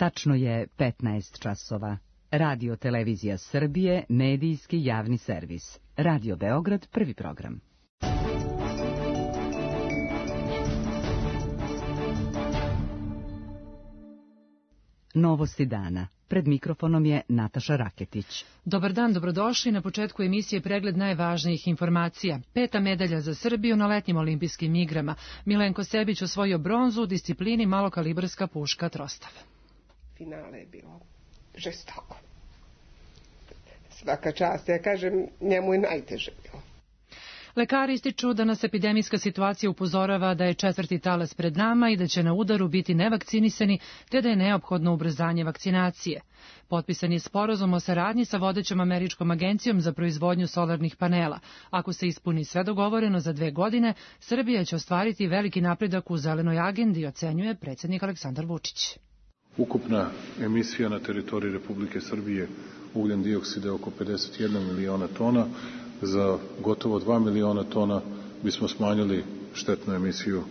Tačno je 15 časova. Radio Televizija Srbije, medijski javni servis. Radio Beograd, prvi program. Novosti dana. Pred mikrofonom je Nataša Raketić. Dobar dan, dobrodošli. Na početku emisije pregled najvažnijih informacija. 5. medalja za Srbiju na letnjim olimpijskim igrama. Milenko Sebić osvojio bronzu u disciplini malokalibarska puška Trostav. Finale je bilo žestoko. Svaka čast, ja kažem, njemu je najteže bilo. Lekari ističu da nas epidemijska situacija upozorava da je 4. talas pred nama i da će na udaru biti nevakcinisani, te da je neophodno ubrzanje vakcinacije. Potpisan je sporazum o saradnji sa vodećom američkom agencijom za proizvodnju solarnih panela. Ako se ispuni sve dogovoreno za 2 godine, Srbija će ostvariti veliki napredak u zelenoj agendi, ocenjuje predsjednik Aleksandar Vučić. Ukupna emisija na teritoriji Republike Srbije ugljen dioksida je oko 51 miliona tona. Za gotovo 2 miliona tona bismo smanjili štetnu emisiju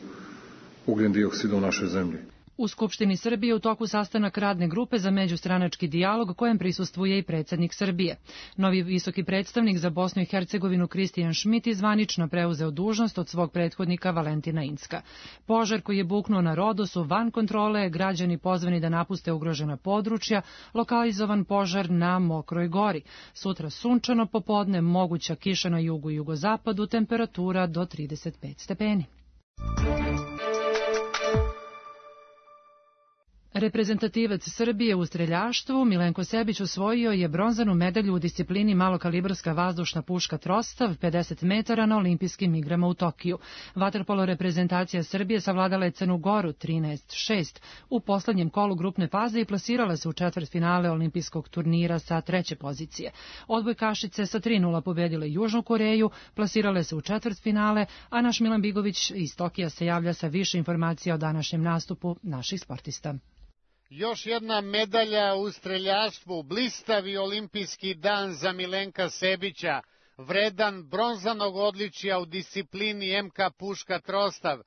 ugljen dioksida u našoj zemlji. U Skupštini Srbije u toku sastanak radne grupe za međustranački dijalog kojem prisustvuje i predsjednik Srbije. Novi visoki predstavnik za Bosnu i Hercegovinu Kristijan Šmit zvanično preuzeo dužnost od svog prethodnika Valentina Incka. Požar koji je buknuo na Rodosu van kontrole, građani pozvani da napuste ugrožena područja, lokalizovan požar na Mokroj gori. Sutra sunčano popodne, moguća kiša na jugu i jugozapadu, temperatura do 35 stepeni. Reprezentativac Srbije u streljaštvu Milenko Sebić osvojio je bronzanu medalju u disciplini malokalibarska vazdušna puška Trostav 50 metara na olimpijskim igrama u Tokiju. Vaterpolo reprezentacija Srbije savladala je Crnu Goru 13-6 u poslednjem kolu grupne faze i plasirala se u četvrtfinale olimpijskog turnira sa 3. pozicije. Odbojkašice sa 3:0 pobedile Južnu Koreju, plasirale se u četvrtfinale, a naš Milan Bigović iz Tokija se javlja sa više informacija o današnjem nastupu naših sportista. Još jedna medalja u streljaštvu, blistavi olimpijski dan za Milenka Sebića, vredan bronzanog odličja u disciplini MK puška Trostav,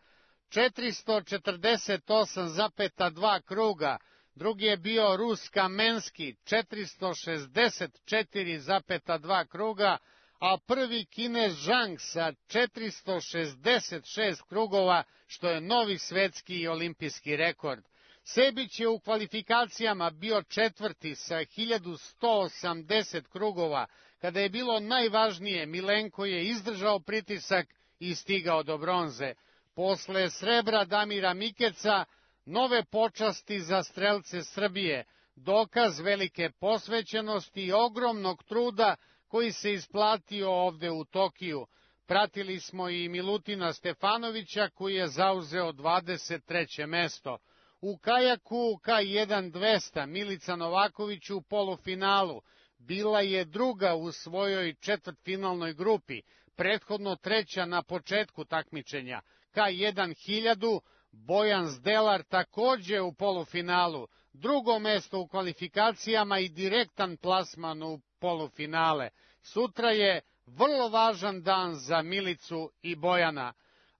448,2 kruga, drugi je bio Rus Kamenski, 464,2 kruga, a prvi Kinez Zhang sa 466 krugova, što je novi svetski i olimpijski rekord. Sebić je u kvalifikacijama bio 4. sa 1180 krugova. Kada je bilo najvažnije, Milenko je izdržao pritisak i stigao do bronze. Posle srebra Damira Mikeca, nove počasti za strelce Srbije, dokaz velike posvećenosti i ogromnog truda koji se isplatio ovde u Tokiju. Pratili smo i Milutina Stefanovića koji je zauzeo 23. mesto. U kajaku K1 200 Milica Novaković u polufinalu bila je druga u svojoj četvrtfinalnoj grupi, prethodno 3. na početku takmičenja. K1 1000 Bojan Zdelar takođe u polufinalu, drugo mesto u kvalifikacijama i direktan plasman u polufinale. Sutra je vrlo važan dan za Milicu i Bojana.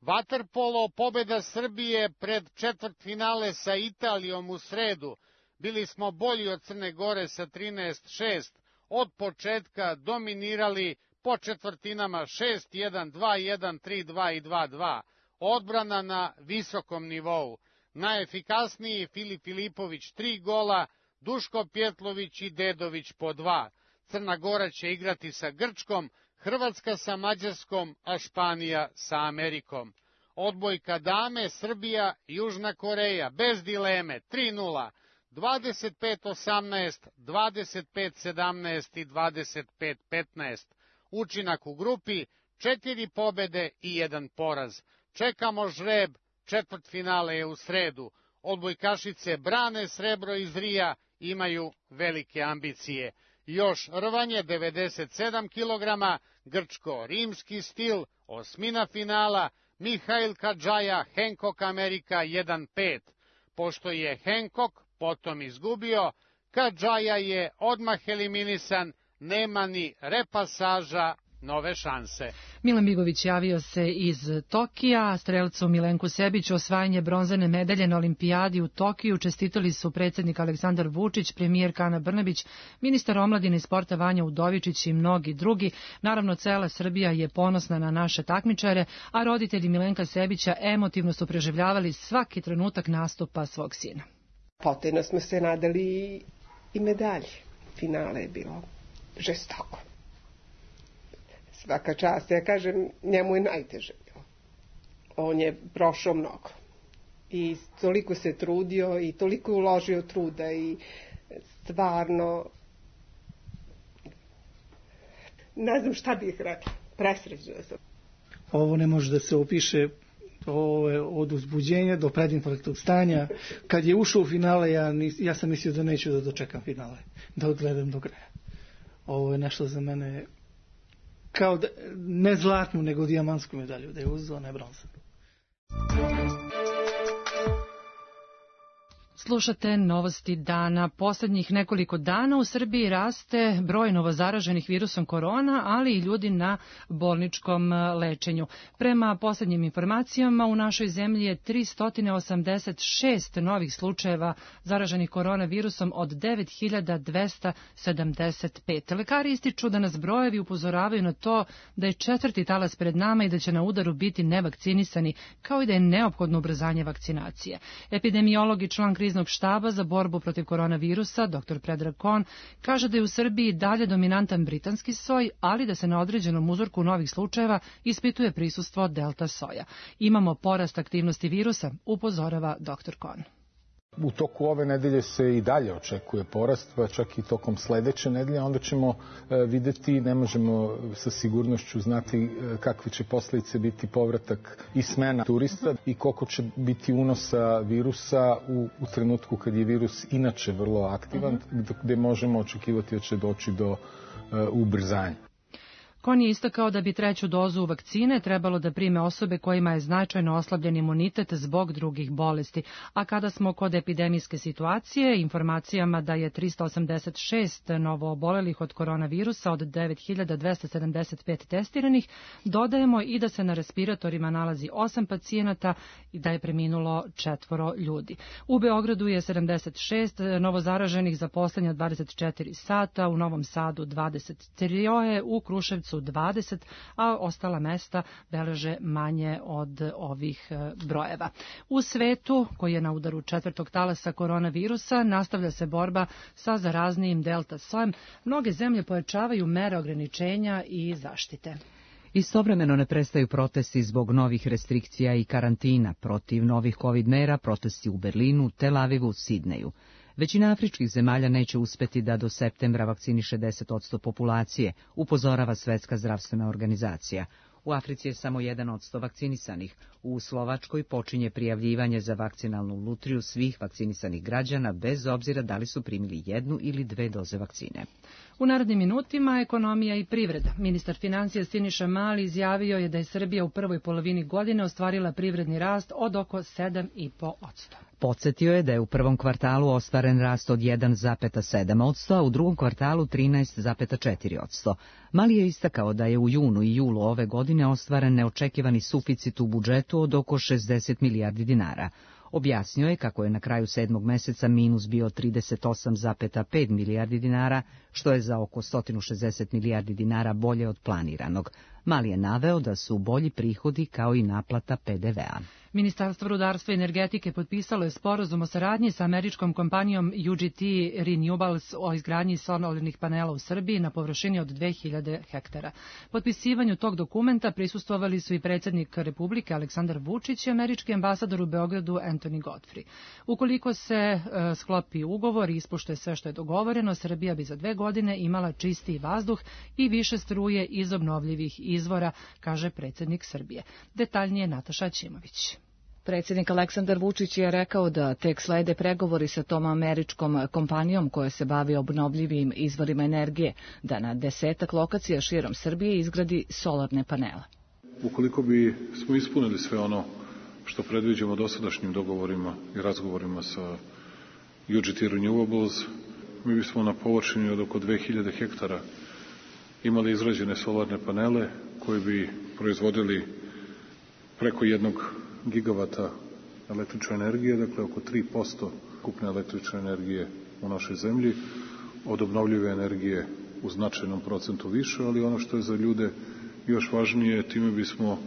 Vaterpolo, pobeda Srbije pred četvrtfinale sa Italijom u sredu. Bili smo bolji od Crne Gore sa 13-6, od početka dominirali po četvrtinama 6-1, 2-1, 3-2 i 2-2. Odbrana na visokom nivou. Najefikasniji Filip Filipović 3 gola, Duško Pjetlović i Dedović po 2. Crna Gora će igrati sa Grčkom, Hrvatska sa Mađarskom, a Španija sa Amerikom. Odbojka dame, Srbija, Južna Koreja, bez dileme, 3:0, 25-18, 25-17 i 25-15. Učinak u grupi, 4 pobede i 1 poraz. Čekamo žreb, četvrtfinale je u sredu. Odbojkašice brane srebro iz Rija, imaju velike ambicije. Još rvanje 97 kg, grčko-rimski stil, osmina finala, Mihail Kadžaja, Hancock Amerika 1:5. Pošto je Hancock potom izgubio, Kadžaja je odmah eliminisan, nema ni repasaža, nove šanse. Milan Bigović javio se iz Tokija. Strelcu Milenku Sebiću osvajanje bronzane medalje na olimpijadi u Tokiju čestitali su predsjednik Aleksandar Vučić, premijerka Ana Brnabić, ministar omladine i sporta Vanja Udovičić i mnogi drugi. Naravno, cela Srbija je ponosna na naše takmičare, a roditelji Milenka Sebića emotivno su preživljavali svaki trenutak nastupa svog sina. Potajno smo se nadali i medalje. Finale je bilo žestoko. Svaka čast, ja kažem, njemu je najteže bilo. On je prošao mnogo. I toliko se trudio i toliko je uložio truda i stvarno ne znam šta bih rekla. Presrećna sam. Ovo ne može da se opiše. Ovo je od uzbuđenja do predinfarktnog stanja. Kad je ušao u finale, ja sam mislio da neću da dočekam finale, da odgledam do kraja. Ovo je nešto za mene kao da, ne zlatnu, nego dijamantsku medalju, da je uzeo, ne bronzanu. Slušate novosti dana. Poslednjih nekoliko dana u Srbiji raste broj novozaraženih virusom korona, ali i ljudi na bolničkom lečenju. Prema poslednjim informacijama u našoj zemlji je 386 novih slučajeva zaraženih koronavirusom od 9275. Lekari ističu da nas brojevi upozoravaju na to da je četvrti talas pred nama i da će na udaru biti nevakcinisani, kao i da je neophodno ubrzanje vakcinacije. Epidemiolog i član kriznog štaba za borbu protiv koronavirusa, dr. Predrag Kon, kaže da je u Srbiji dalje dominantan britanski soj, ali da se na određenom uzorku novih slučajeva ispituje prisustvo delta soja. Imamo porast aktivnosti virusa, upozorava dr. Kon. U toku ove nedelje se i dalje očekuje porast, pa čak i tokom sledeće nedelje. Onda ćemo videti, ne možemo sa sigurnošću znati kakve će posledice biti povratak i smena turista i koliko će biti unosa virusa u trenutku kad je virus inače vrlo aktivan, gde možemo očekivati da će doći do ubrzanja. Kon je istakao da bi treću dozu vakcine trebalo da prime osobe kojima je značajno oslabljen imunitet zbog drugih bolesti. A kada smo kod epidemijske situacije, informacijama da je 386 novoobolelih od koronavirusa od 9275 testiranih, dodajemo i da se na respiratorima nalazi 8 pacijenata i da je preminulo 4 ljudi. U Beogradu je 76 novozaraženih za poslednja 24 sata, u Novom Sadu 23, u Kruševcu 20, a ostala mesta beleže manje od ovih brojeva. U svetu, koji je na udaru četvrtog talasa koronavirusa, nastavlja se borba sa zaraznijim delta sojem. Mnoge zemlje pojačavaju mere ograničenja i zaštite. Istovremeno ne prestaju protesti zbog novih restrikcija i karantina. Protiv novih COVID mera protesti u Berlinu, Tel Avivu, Sidneju. Većina afričkih zemalja neće uspeti da do septembra vakciniše 10% populacije, upozorava Svetska zdravstvena organizacija. U Africi je samo 1% vakcinisanih. U Slovačkoj počinje prijavljivanje za vakcinalnu lutriju svih vakcinisanih građana, bez obzira da li su primili 1 ili 2 doze vakcine. U narednim minutima ekonomija i privreda. Ministar financija Siniša Mali izjavio je da je Srbija u prvoj polovini godine ostvarila privredni rast od oko 7,5%. Podsjetio je da je u prvom kvartalu ostvaren rast od 1,7%, a u drugom kvartalu 13,4%. Mali je istakao da je u junu i julu ove godine ostvaren neočekivani suficit u budžetu od oko 60 milijardi dinara. Objasnio je kako je na kraju 7. meseca minus bio 38,5 milijardi dinara, što je za oko 160 milijardi dinara bolje od planiranog. Mali je naveo da su bolji prihodi kao i naplata PDV-a. Ministarstvo rudarstva i energetike potpisalo je sporazum o saradnji sa američkom kompanijom UGT Renewables o izgradnji solarnih panela u Srbiji na površini od 2000 hektara. Potpisivanju tog dokumenta prisustvovali su i predsjednik Republike Aleksandar Vučić i američki ambasador u Beogradu Anthony Godfrey. Ukoliko se sklopi ugovor i ispoštuje sve što je dogovoreno, Srbija bi za 2 godine imala čistiji vazduh i više struje iz obnovljivih izvora, kaže predsjednik Srbije. Detaljnije Nataša Ćimović. Predsjednik Aleksandar Vučić je rekao da tek slede pregovori sa tom američkom kompanijom koja se bavi obnovljivim izvorima energije, da na 10 lokacija širom Srbije izgradi solarne panele. Ukoliko bi smo ispunili sve ono što predviđamo dosadašnjim dogovorima i razgovorima sa UGT Renewables, mi bismo na površini od oko 2000 hektara imali izrađene solarne panele koji bi proizvodili preko 1 gigavata električne energije, dakle oko 3% ukupne električne energije u našoj zemlji, od obnovljive energije u značajnom procentu više, ali ono što je za ljude još važnije, time bismo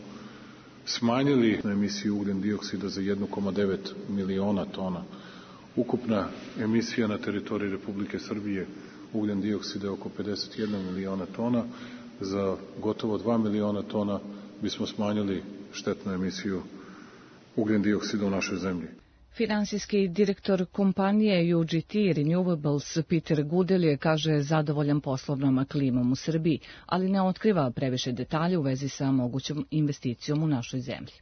smanjili emisiju ugljen dioksida za 1,9 miliona tona. Ukupna emisija na teritoriji Republike Srbije ugljen dioksida je oko 51 miliona tona. Za gotovo 2 miliona tona bismo smanjili štetnu emisiju ugljen dioksida u našoj zemlji. Finansijski direktor kompanije UGT Renewables Peter Gudel je, kaže, zadovoljan poslovnom klimom u Srbiji, ali ne otkriva previše detalje u vezi sa mogućom investicijom u našoj zemlji.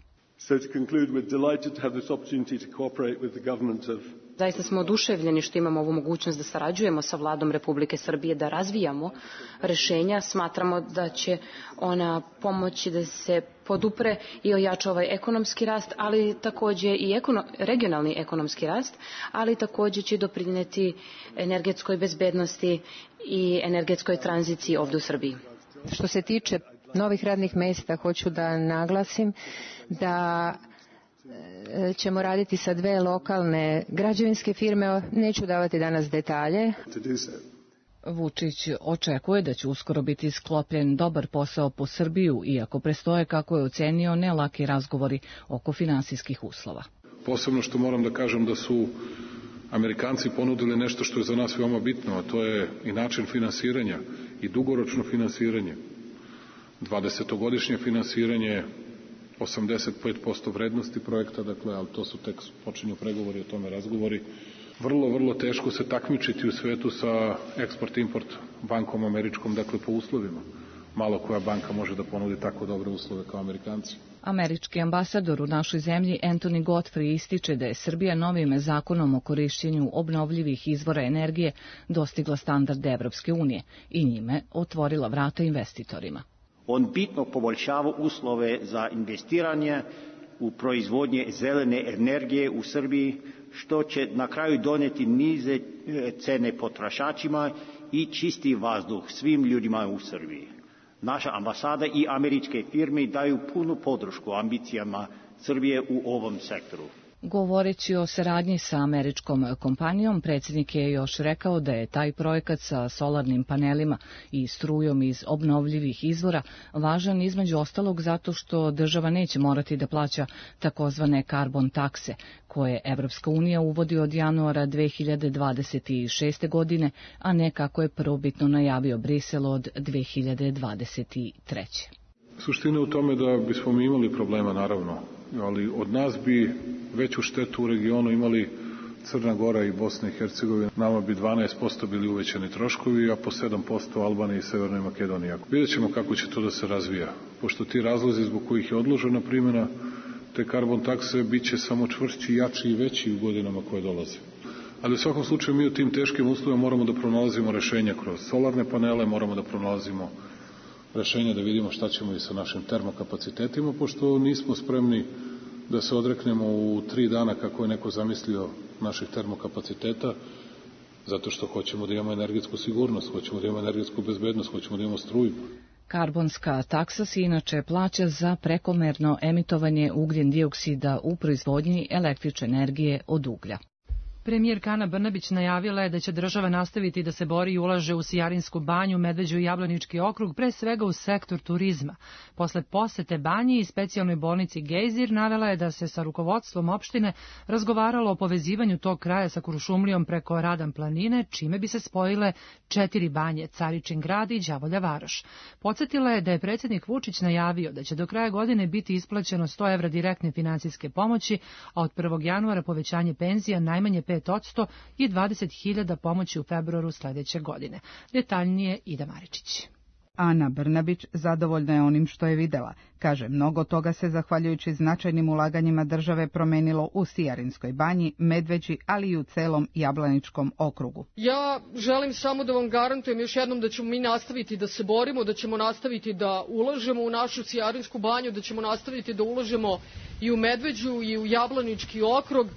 Zaista smo oduševljeni što imamo ovu mogućnost da sarađujemo sa Vladom Republike Srbije, da razvijamo rešenja. Smatramo da će ona pomoći da se podupre i ojača ovaj ekonomski rast, ali takođe i regionalni ekonomski rast, ali takođe će doprineti energetskoj bezbednosti i energetskoj tranziciji ovde u Srbiji. Što se tiče novih radnih mesta, hoću da naglasim da ćemo raditi sa 2 lokalne građevinske firme, neću davati danas detalje. Vučić očekuje da će uskoro biti sklopljen dobar posao po Srbiju, iako prestoje, kako je ocenio, ne laki razgovori oko finansijskih uslova. Posebno što moram da kažem da su Amerikanci ponudili nešto što je za nas veoma bitno, a to je i način finansiranja i dugoročno finansiranje. 20-godišnje finansiranje, 85% vrednosti projekta, dakle, ali to su tek počinju pregovori, o tome razgovori. Vrlo teško se takmičiti u svetu sa eksport-import bankom američkom, dakle, po uslovima. Malo koja banka može da ponudi tako dobre uslove kao Amerikanci. Američki ambasador u našoj zemlji Anthony Godfrey ističe da je Srbija novim zakonom o korišćenju obnovljivih izvora energije dostigla standarde Evropske unije i njime otvorila vrata investitorima. On bitno poboljšava uslove za investiranje u proizvodnje zelene energije u Srbiji, što će na kraju doneti niže cene potrošačima i čisti vazduh svim ljudima u Srbiji. Naša ambasada i američke firme daju punu podršku ambicijama Srbije u ovom sektoru. Govoreći o saradnji sa američkom kompanijom, predsjednik je još rekao da je taj projekat sa solarnim panelima i strujom iz obnovljivih izvora važan između ostalog zato što država neće morati da plaća takozvane karbon takse, koje Evropska unija uvodi od januara 2026. godine, a ne kako je prvobitno najavio Brisel od 2023. Suština je u tome da bismo mi imali problema, naravno, ali od nas bi veću štetu u regionu imali Crna Gora i Bosna i Hercegovina. Nama bi 12% bili uvećani troškovi, a po 7% Albaniji i Severnoj Makedoniji. Vidjet ćemo kako će to da se razvija, pošto ti razlozi zbog kojih je odložena primjena te karbon takse bit će samo čvršći, jači i veći u godinama koje dolaze. Ali u svakom slučaju mi u tim teškim uslovima moramo da pronalazimo rešenja kroz solarne panele, moramo da pronalazimo rešenja da vidimo šta ćemo i sa našim termokapacitetima, pošto nismo spremni da se odreknemo u 3 dana kako je neko zamislio naših termokapaciteta, zato što hoćemo da imamo energetsku sigurnost, hoćemo da imamo energetsku bezbednost, hoćemo da imamo struju. Karbonska taksa se inače plaća za prekomerno emitovanje ugljen dioksida u proizvodnji električne energije od uglja. Premijerka Ana Brnabić najavila je da će država nastaviti da se bori i ulaže u Sijarinsku banju, Medveđu i Jablanički okrug, pre svega u sektor turizma. Posle posete banji i specijalnoj bolnici Gejzir navela je da se sa rukovodstvom opštine razgovaralo o povezivanju tog kraja sa Kuršumlijom preko Radan planine, čime bi se spojile 4 banje, Caričin grad i Đavolja Varoš. Podsjetila je da je predsjednik Vučić najavio da će do kraja godine biti isplaćeno 100 evra direktne finansijske pomoći, a od 1. januara povećanje penzija najmanje 5% i 20.000 pomoći u februaru sledeće godine. Detaljnije Ida Maričić. Ana Brnabić zadovoljna je onim što je videla. Kaže, mnogo toga se zahvaljujući značajnim ulaganjima države promenilo u Sijarinskoj banji, Medveđi, ali i u celom Jablaničkom okrugu. Ja želim samo da vam garantujem još jednom da ćemo mi nastaviti da se borimo, da ćemo nastaviti da ulažemo u našu Sijarinsku banju, da ćemo nastaviti da ulažemo i u Medveđu i u Jablanički okrug,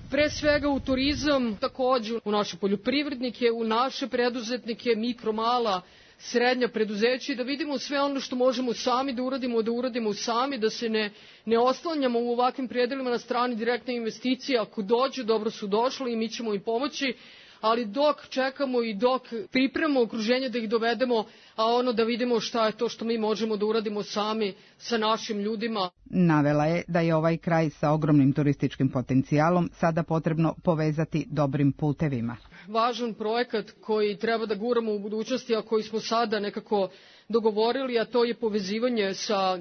pre svega u turizam, takođe u naše poljoprivrednike, u naše preduzetnike, mikro, mala, srednja preduzeća i da vidimo sve ono što možemo sami da uradimo sami, da se ne oslanjamo u ovakvim predelima na strani direktne investicije. Ako dođu, dobro su došli i mi ćemo im pomoći, ali dok čekamo i dok pripremamo okruženje da ih dovedemo, a ono da vidimo šta je to što mi možemo da uradimo sami sa našim ljudima. Navela je da je ovaj kraj sa ogromnim turističkim potencijalom sada potrebno povezati dobrim putevima. Važan projekat koji treba da guramo u budućnosti, a koji smo sada nekako dogovorili, a to je povezivanje sa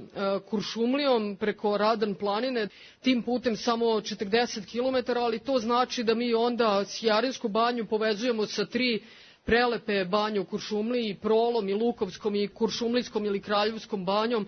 Kuršumlijom preko Radan planine, tim putem samo 40 km, ali to znači da mi onda Sjarinsku banju povezujemo sa 3 prelepe banje u Kuršumliji, Prolom i Lukovskom i Kuršumlijskom ili Kraljevskom banjom,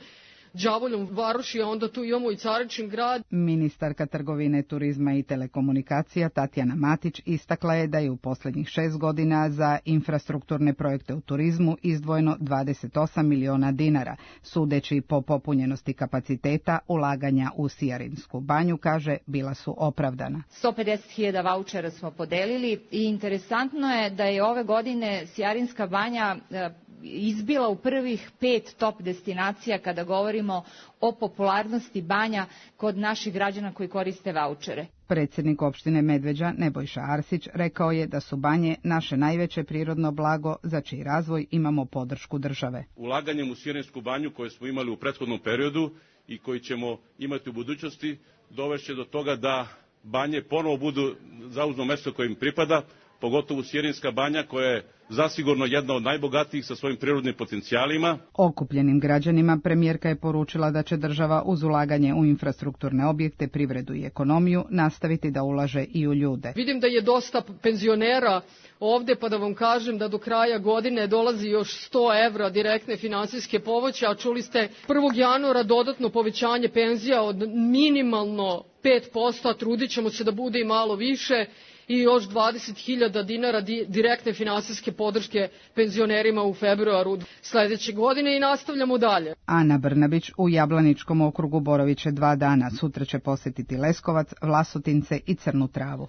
Đavoljom Varoši, a onda tu imamo i Caričin grad. Ministarka trgovine, turizma i telekomunikacija Tatjana Matić istakla je da je u posljednjih 6 godina za infrastrukturne projekte u turizmu izdvojeno 28 miliona dinara. Sudeći po popunjenosti kapaciteta, ulaganja u Sijarinsku banju, kaže, bila su opravdana. 150.000 vaučera smo podelili i interesantno je da je ove godine Sijarinska banja izbila u prvih 5 top destinacija kada govorimo o popularnosti banja kod naših građana koji koriste vaučere. Predsjednik opštine Medveđa Nebojša Arsić rekao je da su banje naše najveće prirodno blago za čiji razvoj imamo podršku države. Ulaganjem u Sijarinsku banju koje smo imali u prethodnom periodu i koji ćemo imati u budućnosti dovešće do toga da banje ponovo zauzmu mesto koje im pripada, pogotovo Sijarinska banja koja je zasigurno jedna od najbogatijih sa svojim prirodnim potencijalima. Okupljenim građanima premijerka je poručila da će država uz ulaganje u infrastrukturne objekte, privredu i ekonomiju nastaviti da ulaže i u ljude. Vidim da je dosta penzionera ovde, pa da vam kažem da do kraja godine dolazi još 100 evra direktne finansijske pomoći, a čuli ste 1. januara dodatno povećanje penzija od minimalno 5%, a trudit ćemo se da bude i malo više, i još 20.000 dinara direktne finansijske podrške penzionerima u februaru sledeće godine i nastavljamo dalje. Ana Brnabić u Jablaničkom okrugu boravit će 2 dana. Sutra će posjetiti Leskovac, Vlasotince i Crnu Travu.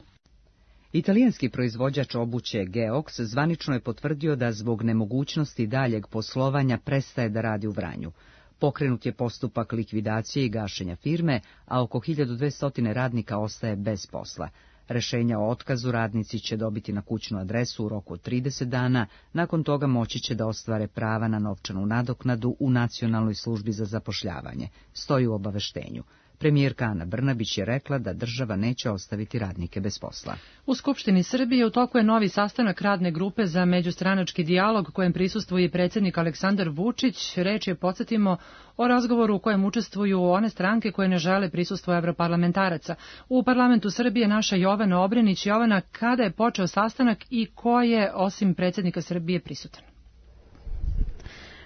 Italijanski proizvođač obuće Geox zvanično je potvrdio da zbog nemogućnosti daljeg poslovanja prestaje da radi u Vranju. Pokrenut je postupak likvidacije i gašenja firme, a oko 1200 radnika ostaje bez posla. Rešenja o otkazu radnici će dobiti na kućnu adresu u roku od 30 dana, nakon toga moći će da ostvare prava na novčanu nadoknadu u Nacionalnoj službi za zapošljavanje, stoji u obaveštenju. Premijerka Ana Brnabić je rekla da država neće ostaviti radnike bez posla. U Skupštini Srbije u toku je novi sastanak radne grupe za međustranački dijalog kojem prisustvuje predsjednik Aleksandar Vučić. Reč je, podsjetimo, o razgovoru u kojem učestvuju one stranke koje ne žele prisustvo evroparlamentaraca. U parlamentu Srbije naša Jovana Obrenić. Jovana, kada je počeo sastanak i ko je osim predsjednika Srbije prisutan?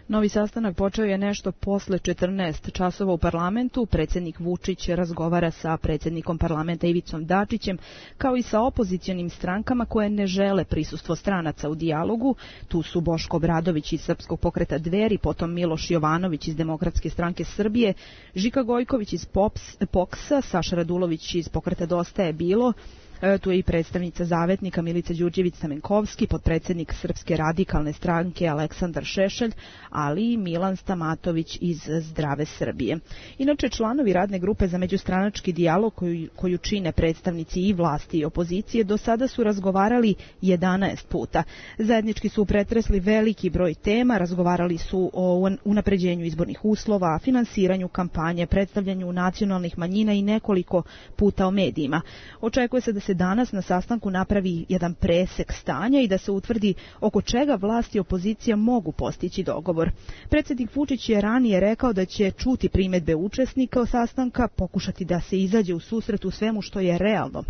Novi sastanak počeo je nešto posle 14 časova u parlamentu. Predsjednik Vučić razgovara sa predsjednikom parlamenta Ivicom Dačićem, kao i sa opozicionim strankama koje ne žele prisustvo stranaca u dijalogu. Tu su Boško Obradović iz Srpskog pokreta Dveri, potom Miloš Jovanović iz Demokratske stranke Srbije, Žika Gojković iz POKS-a, Saša Radulović iz pokreta Dosta je bilo. Tu je i predstavnica Zavetnika Milica Đurđević-Stamenkovski, potpredsjednik Srpske radikalne stranke Aleksandar Šešelj, ali i Milan Stamatović iz Zdrave Srbije. Inače, članovi radne grupe za međustranački dijalog koju čine predstavnici i vlasti i opozicije do sada su razgovarali 11 puta. Zajednički su pretresli veliki broj tema, razgovarali su o unapređenju izbornih uslova, finansiranju kampanje, predstavljanju nacionalnih manjina i nekoliko puta o medijima. Očekuje se da se danas na sastanku napravi jedan presek stanja i da se utvrdi oko čega vlast i opozicija mogu postići dogovor. Predsjednik Vučić je ranije rekao da će čuti primjedbe učesnika sastanka, pokušati da se izađe u susret u svemu što je realno.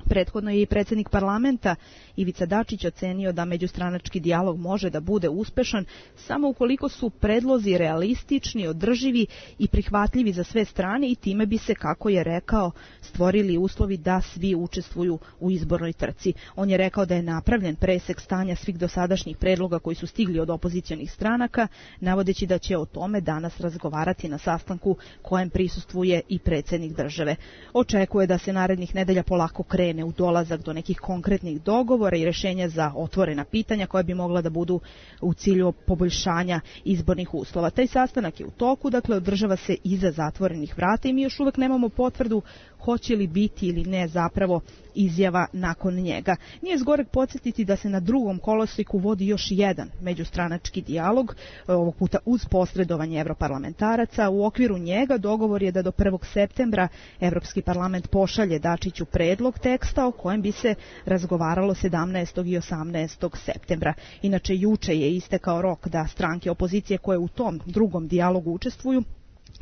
Prethodno je i predsjednik parlamenta Ivica Dačić ocenio da međustranački dijalog može da bude uspešan samo ukoliko su predlozi realistični, održivi i prihvatljivi za sve strane i time bi se, kako je rekao, stvorili uslovi da svi učestvuju u izbornoj trci. On je rekao da je napravljen presek stanja svih dosadašnjih predloga koji su stigli od opozicionih stranaka, navodeći da će o tome danas razgovarati na sastanku kojem prisustvuje i predsjednik države. Očekuje da se narednih nedelja polako krene kregne u dolazak do nekih konkretnih dogovora i rješenja za otvorena pitanja koja bi mogla da budu u cilju poboljšanja izbornih uslova. Taj sastanak je u toku, dakle održava se iza zatvorenih vrata i mi još uvek nemamo potvrdu hoće li biti ili ne zapravo izjava nakon njega. Nije zgoreg podsjetiti da se na drugom kolosiku vodi još jedan međustranački dijalog, ovog puta uz posredovanje evroparlamentaraca. U okviru njega dogovor je da do 1. septembra Evropski parlament pošalje Dačiću predlog teksta o kojem bi se razgovaralo 17. i 18. septembra. Inače, juče je istekao rok da stranke opozicije koje u tom drugom dijalogu učestvuju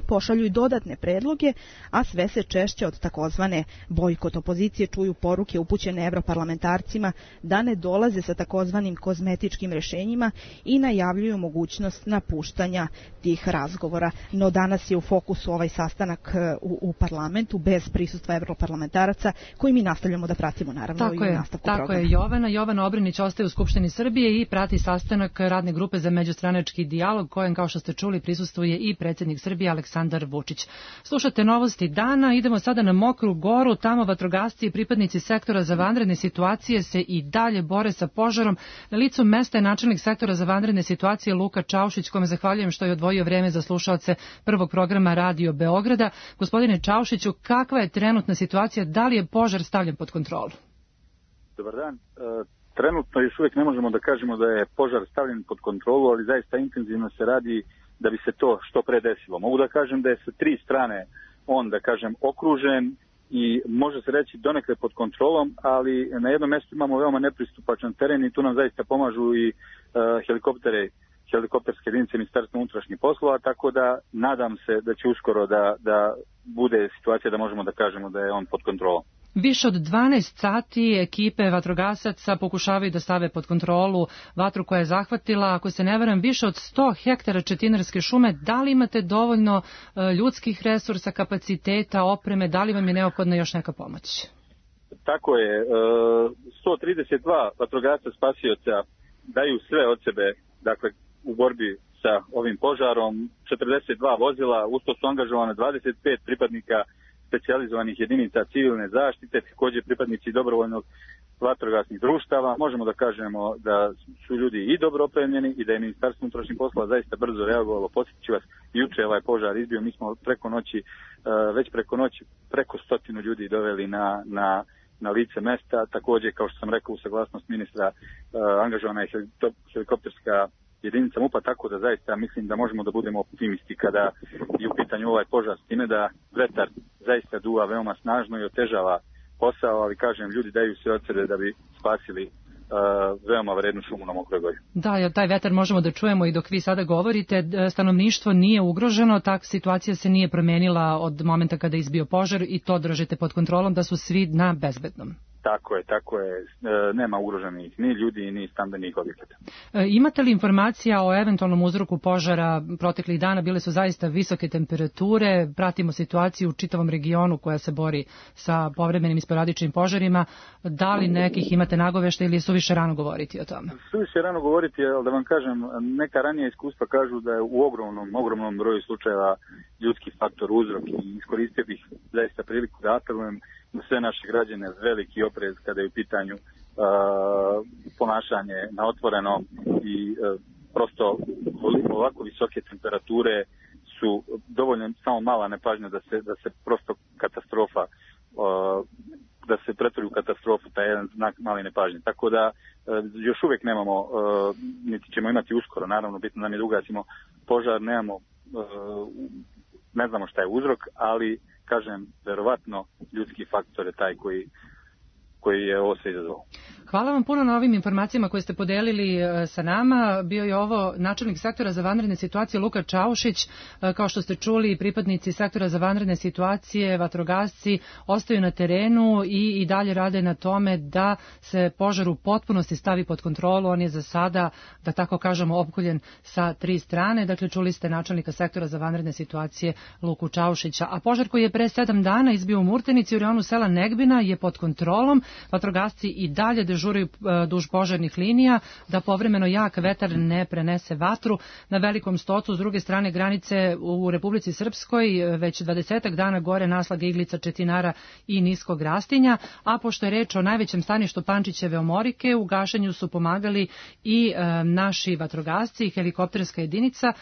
pošalju i dodatne predloge, a sve se češće od takozvane bojkot opozicije čuju poruke upućene evroparlamentarcima da ne dolaze sa takozvanim kozmetičkim rešenjima i najavljuju mogućnost napuštanja tih razgovora. No danas je u fokusu ovaj sastanak u parlamentu bez prisustva evroparlamentaraca koji mi nastavljamo da pratimo naravno i u nastavku programa. Tako je, Jovana Obrenić ostaje u Skupštini Srbije i prati sastanak radne grupe za međustranački dijalog kojem, kao što ste čuli, prisustvuje i predsjednik Srbije Aleksandar Vučić. Slušate novosti dana, idemo sada na Mokru Goru, tamo vatrogasci i pripadnici sektora za vanredne situacije se i dalje bore sa požarom. Na licu mesta je načelnik sektora za vanredne situacije Luka Čaušić, kome zahvaljujem što je odvojio vreme za slušaoce prvog programa Radio Beograda. Gospodine Čaušiću, kakva je trenutna situacija, da li je požar stavljen pod kontrolu? Dobar dan. Trenutno još uvijek ne možemo da kažemo da je požar stavljen pod kontrolu, ali zaista intenzivno se radi da bi se to što pre desilo. Mogu da kažem da je sa 3 strane on, da kažem, okružen i može se reći donekle pod kontrolom, ali na jednom mjestu imamo veoma nepristupačan teren i tu nam zaista pomažu i helikopterske jedinice Ministarstva unutrašnjih poslova, tako da nadam se da će uskoro da bude situacija da možemo da kažemo da je on pod kontrolom. Više od 12 sati ekipe vatrogasaca pokušavaju da stave pod kontrolu vatru koja je zahvatila, ako se ne varam, više od 100 hektara četinarske šume. Da li imate dovoljno ljudskih resursa, kapaciteta, opreme, da li vam je neophodna još neka pomoć? Tako je. 132 vatrogasca spasioca daju sve od sebe, dakle, u borbi sa ovim požarom. 42 vozila, usto su angažovane 25 pripadnika specijalizovanih jedinica civilne zaštite, također pripadnici dobrovoljnog vatrogasnih društava. Možemo da kažemo da su ljudi i dobro opremljeni i da je Ministarstvo unutrašnjih poslova zaista brzo reagovalo. Podsjetit ću vas, juče ovaj požar izbio, mi smo preko noći preko 100 ljudi doveli na lice mesta. Također, kao što sam rekao, u saglasnost ministra angažovana je helikopterska jedinica MUP-a, tako da zaista mislim da možemo da budemo optimisti kada je u pitanju ovaj požar, s time da vetar zaista duva veoma snažno i otežava posao, ali kažem, ljudi daju sve od sebe da bi spasili veoma vrednu šumu na Mokroj Gori. Da, jer taj vetar možemo da čujemo i dok vi sada govorite, stanovništvo nije ugroženo, tak situacija se nije promenila od momenta kada je izbio požar i to držite pod kontrolom da su svi na bezbednom. Tako je. Nema ugroženih ni ljudi, ni stambenih objekata. Imate li informacija o eventualnom uzroku požara proteklih dana? Bile su zaista visoke temperature, pratimo situaciju u čitavom regionu koja se bori sa povremenim i sporadičnim požarima. Da li nekih imate nagovešta ili je suviše rano govoriti o tome? Suviše rano govoriti, ali da vam kažem, neka ranija iskustva kažu da je u ogromnom broju slučajeva ljudski faktor uzrok i iskoristio bih zaista priliku da apelujem na sve naše građane veliki oprez kada je u pitanju ponašanje na otvorenom i prosto ovako visoke temperature su dovoljno samo mala nepažnja da se prosto katastrofa da se pretvori u katastrofu, taj jedan znak male nepažnje. Tako da još uvijek nemamo, niti ćemo imati uskoro, naravno bitno nam je da ugasimo požar, ne znamo šta je uzrok, ali kažem, verovatno ljudski faktor je taj koji je ovo sve izazvao. Hvala vam puno na ovim informacijama koje ste podelili sa nama. Bio je ovo načelnik sektora za vanredne situacije Luka Čaušić. Kao što ste čuli, pripadnici sektora za vanredne situacije, vatrogasci, ostaju na terenu i dalje rade na tome da se požar u potpunosti stavi pod kontrolu. On je za sada, da tako kažemo, opkoljen sa 3 strane. Dakle, čuli ste načelnika sektora za vanredne situacije Luku Čaušića. A požar koji je pre 7 dana izbio u Murtenici u reonu sela Negbina je pod kontrolom. Vatrogasci i dalje dežuraju dežuraju duž požarnih linija, da povremeno jak vetar ne prenese vatru. Na Velikom Stocu, s druge strane granice u Republici Srpskoj, već 20 dana gore naslaga iglica, četinara i niskog rastinja, a pošto je reč o najvećem staništu Pančićeve omorike, u gašenju su pomagali i naši vatrogasci i helikopterska jedinica.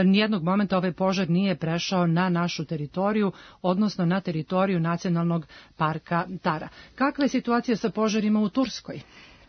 Nijednog momenta ovaj požar nije prešao na našu teritoriju, odnosno na teritoriju Nacionalnog parka Tara. Kakva je situacija sa požarima u Turskoj?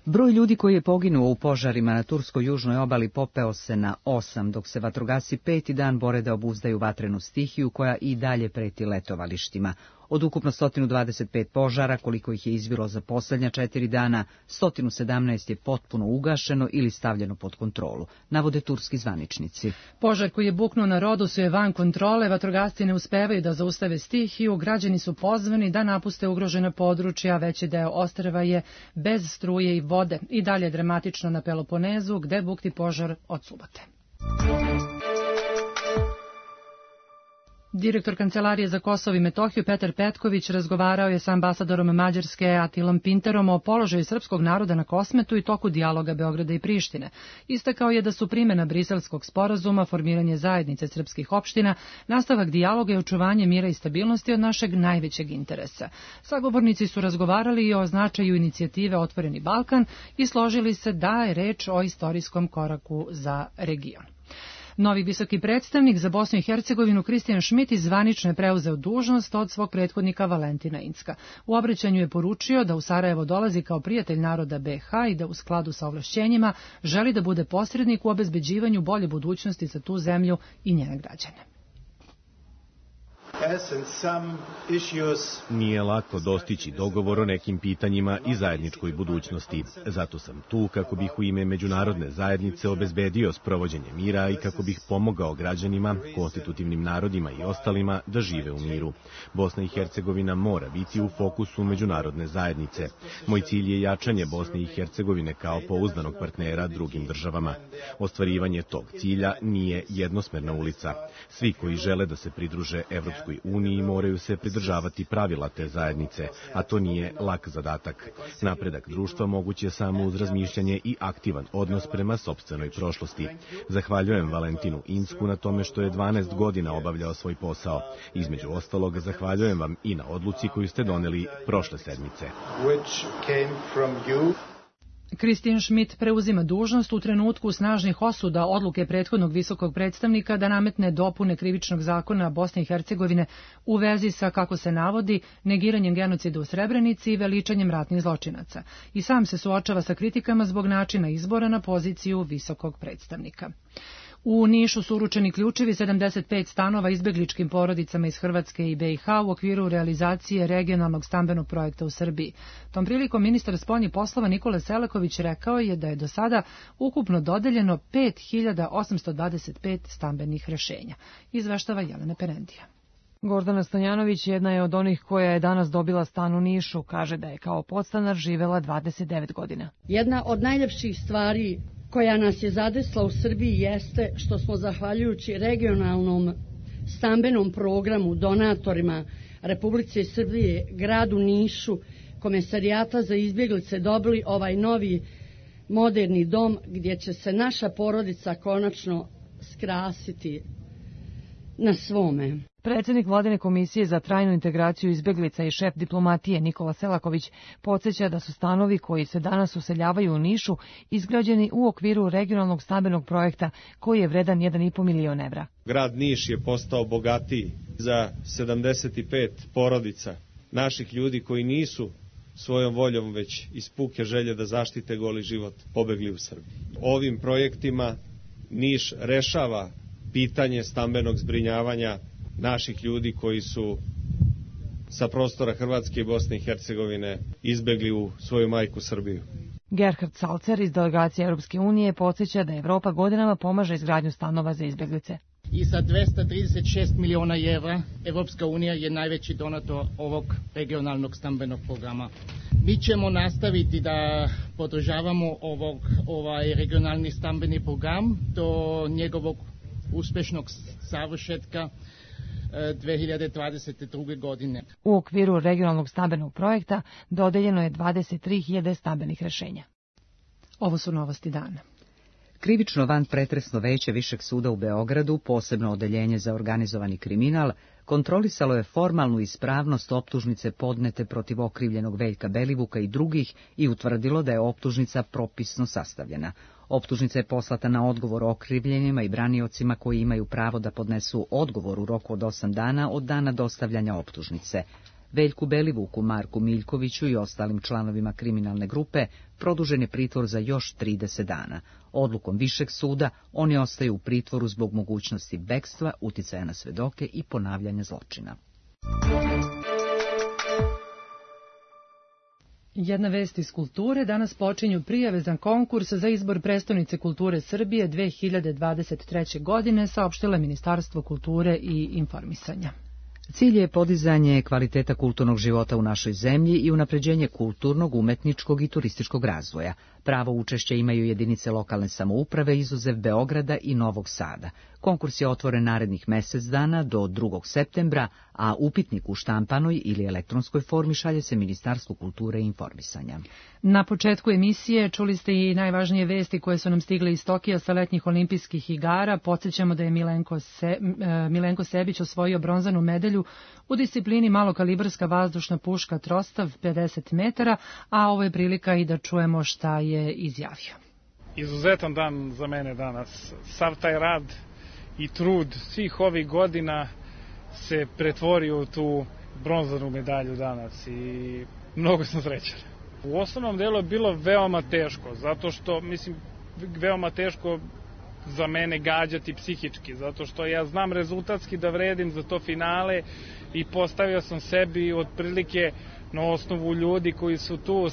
Broj ljudi koji je poginuo u požarima na turskoj južnoj obali popeo se na 8, dok se vatrogasci 5. dan bore da obuzdaju vatrenu stihiju koja i dalje preti letovalištima. Od ukupno 125 požara, koliko ih je izbilo za posljednja 4 dana, 117 je potpuno ugašeno ili stavljeno pod kontrolu, navode turski zvaničnici. Požar koji je buknuo na Rodosu je van kontrole, vatrogasci ne uspevaju da zaustave stihiju, građani su pozvani da napuste ugrožena područja, veći deo ostrva je bez struje i vode. I dalje dramatično na Peloponezu, gde bukti požar od subote. Direktor Kancelarije za Kosovo i Metohiju Petar Petković razgovarao je sa ambasadorom Mađarske Atilom Pinterom o položaju srpskog naroda na Kosmetu i toku dijaloga Beograda i Prištine. Istakao je da su primjena Briselskog sporazuma, formiranje zajednice srpskih opština, nastavak dijaloga i očuvanje mira i stabilnosti od našeg najvećeg interesa. Sagovornici su razgovarali i o značaju inicijative Otvoreni Balkan i složili se da je reč o istorijskom koraku za region. Novi visoki predstavnik za Bosnu i Hercegovinu Kristijan Šmit zvanično je preuzeo dužnost od svog prethodnika Valentina Incka. U obraćanju je poručio da u Sarajevo dolazi kao prijatelj naroda BiH i da u skladu sa ovlašćenjima želi da bude posrednik u obezbeđivanju bolje budućnosti za tu zemlju i njene građane. Nije lako dostići dogovor o nekim pitanjima i zajedničkoj budućnosti. Zato sam tu kako bih u ime međunarodne zajednice obezbedio sprovođenje mira i kako bih pomogao građanima, konstitutivnim narodima i ostalima da žive u miru. Bosna i Hercegovina mora biti u fokusu međunarodne zajednice. Moj cilj je jačanje Bosne i Hercegovine kao pouzdanog partnera drugim državama. Ostvarivanje tog cilja nije jednosmerna ulica. Svi koji žele da se pridruže Evropskoj uniji moraju se pridržavati pravila te zajednice, a to nije lak zadatak. Napredak društva moguć je samo uz razmišljanje i aktivan odnos prema sopstvenoj prošlosti. Zahvaljujem Valentinu Incku na tome što je 12 godina obavljao svoj posao. Između ostalog, zahvaljujem vam i na odluci koju ste doneli prošle sedmice. Kristijan Šmit preuzima dužnost u trenutku snažnih osuda odluke prethodnog visokog predstavnika da nametne dopune krivičnog zakona Bosne i Hercegovine u vezi sa, kako se navodi, negiranjem genocida u Srebrenici i veličanjem ratnih zločinaca. I sam se suočava sa kritikama zbog načina izbora na poziciju visokog predstavnika. U Nišu su uručeni ključevi 75 stanova izbegličkim porodicama iz Hrvatske i BiH u okviru realizacije regionalnog stambenog projekta u Srbiji. Tom prilikom ministar spoljnih poslova Nikola Selaković rekao je da je do sada ukupno dodeljeno 5825 stambenih rešenja. Izveštava Jelena Perendija. Gordana Stanjanović jedna je od onih koja je danas dobila stan u Nišu. Kaže da je kao podstanar živela 29 godina. Jedna od najljepših stvari koja nas je zadesla u Srbiji jeste što smo zahvaljujući regionalnom stambenom programu donatorima Republike Srbije, gradu Nišu, Komesarijata za izbjeglice dobili ovaj novi moderni dom gdje će se naša porodica konačno skrasiti na svome. Predsjednik Vladine komisije za trajnu integraciju izbjeglica i šef diplomatije Nikola Selaković podsjeća da su stanovi koji se danas useljavaju u Nišu izgrađeni u okviru regionalnog stambenog projekta koji je vredan 1,5 milion evra. Grad Niš je postao bogatiji za 75 porodica naših ljudi koji nisu svojom voljom već iz puke želje da zaštite goli život pobegli u Srbiju. Ovim projektima Niš rešava pitanje stambenog zbrinjavanja naših ljudi koji su sa prostora Hrvatske i Bosne i Hercegovine izbegli u svoju majku Srbiju. Gerhard Salcer iz delegacije Europske unije podsjeća da Evropa godinama pomaže izgradnju stanova za izbjeglice. I sa 236 miliona evra Evropska unija je najveći donator ovog regionalnog stambenog programa. Mi ćemo nastaviti da podržavamo ovaj regionalni stambeni program do njegovog uspješnog završetka 2022. godine. U okviru regionalnog stambenog projekta dodeljeno je 23.000 stambenih rešenja. Ovo su novosti dana. Krivično vanpretresno veće Višeg suda u Beogradu, posebno odeljenje za organizovani kriminal, kontrolisalo je formalnu ispravnost optužnice podnete protiv okrivljenog Veljka Belivuka i drugih i utvrdilo da je optužnica propisno sastavljena. Optužnica je poslata na odgovor okrivljenima i braniocima koji imaju pravo da podnesu odgovor u roku od 8 dana od dana dostavljanja optužnice. Veljku Belivuku, Marku Miljkoviću i ostalim članovima kriminalne grupe produžen je pritvor za još 30 dana. Odlukom Višeg suda oni ostaju u pritvoru zbog mogućnosti bekstva, uticaja na svedoke i ponavljanja zločina. Jedna vest iz kulture. Danas počinju prijave za konkurs za izbor prestonice kulture Srbije 2023. godine, saopštilo Ministarstvo kulture i informisanja. Cilj je podizanje kvaliteta kulturnog života u našoj zemlji i unapređenje kulturnog, umetničkog i turističkog razvoja. Pravo učešća imaju jedinice lokalne samouprave izuzev Beograda i Novog Sada. Konkurs je otvoren narednih mjesec dana do 2. septembra, a upitnik u štampanoj ili elektronskoj formi šalje se Ministarstvu kulture i informisanja. Na početku emisije čuli ste i najvažnije vesti koje su nam stigle iz Tokija sa letnjih olimpijskih igara. Podsjećamo da je Milenko Sebić osvojio bronzanu medalju u disciplini malokalibarska vazdušna puška Trostav 50 metara, a ovo je prilika i da čujemo šta je izjavio. Izuzetan dan za mene danas. Sav taj rad i trud svih ovih godina se pretvorio u tu bronzanu medalju danas i mnogo sam srećan. U osnovnom delu je bilo veoma teško, zato što, veoma teško za mene gađati psihički, zato što ja znam rezultatski da vredim za to finale i postavio sam sebi otprilike na osnovu ljudi koji su tu,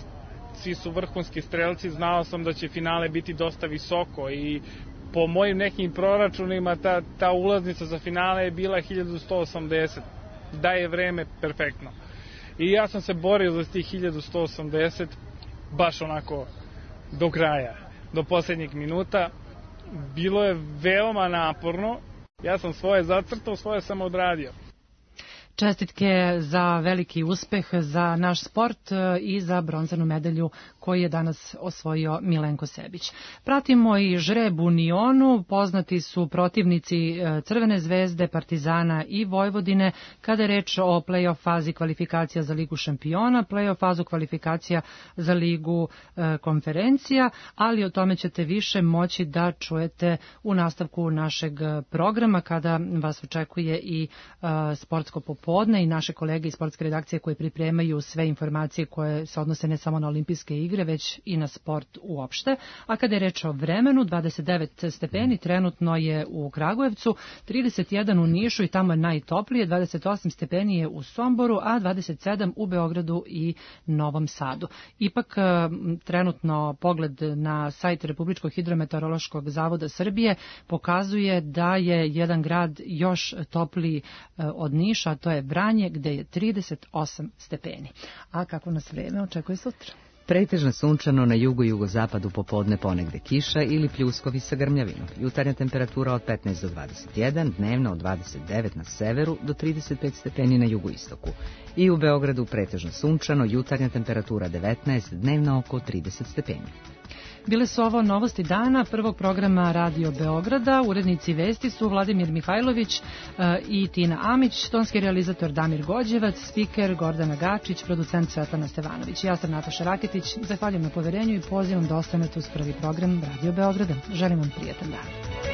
svi su vrhunski strelci, znao sam da će finale biti dosta visoko i po mojim nekim proračunima ta ulaznica za finale je bila 1180, da je vreme perfektno. I ja sam se borio za tih 1180 baš onako do kraja, do posljednjeg minuta. Bilo je veoma naporno, ja sam svoje zacrtao, svoje sam odradio. Čestitke za veliki uspeh za naš sport i za bronzanu medalju koju je danas osvojio Milenko Sebić. Pratimo i žreb u Nionu, poznati su protivnici Crvene zvezde, Partizana i Vojvodine kada je reč o play-off fazi kvalifikacija za Ligu šampiona, play-off fazu kvalifikacija za Ligu konferencija, ali o tome ćete više moći da čujete u nastavku našeg programa kada vas očekuje i sportsko popodne i naše kolege iz sportske redakcije koje pripremaju sve informacije koje se odnose ne samo na olimpijske igre, već i na sport uopšte. A kada je reč o vremenu, 29 stepeni trenutno je u Kragujevcu, 31 u Nišu i tamo je najtoplije, 28 stepeni je u Somboru, a 27 u Beogradu i Novom Sadu. Ipak trenutno pogled na sajt Republičkog hidrometeorološkog zavoda Srbije pokazuje da je jedan grad još topliji od Niša, a to je Vranje gde je 38 stepeni. A kako nas vreme očekuje sutra? Pretežno sunčano na jugu i jugozapadu, popodne ponegde kiša ili pljuskovi sa grmljavinom. Jutarnja temperatura od 15 do 21, dnevno od 29 na severu do 35 stepeni na jugoistoku. I u Beogradu pretežno sunčano, jutarnja temperatura 19, dnevno oko 30 stepeni. Bile su ovo novosti dana prvog programa Radio Beograda. Urednici vesti su Vladimir Mihajlović i Tina Amić, tonski realizator Damir Gođevac, spiker Gordana Gačić, producent Svetlana Stevanović. Ja sam Nataša Raketić, zahvaljujem na poverenju i pozivam da ostanete uz prvi program Radio Beograda. Želim vam prijetan dan.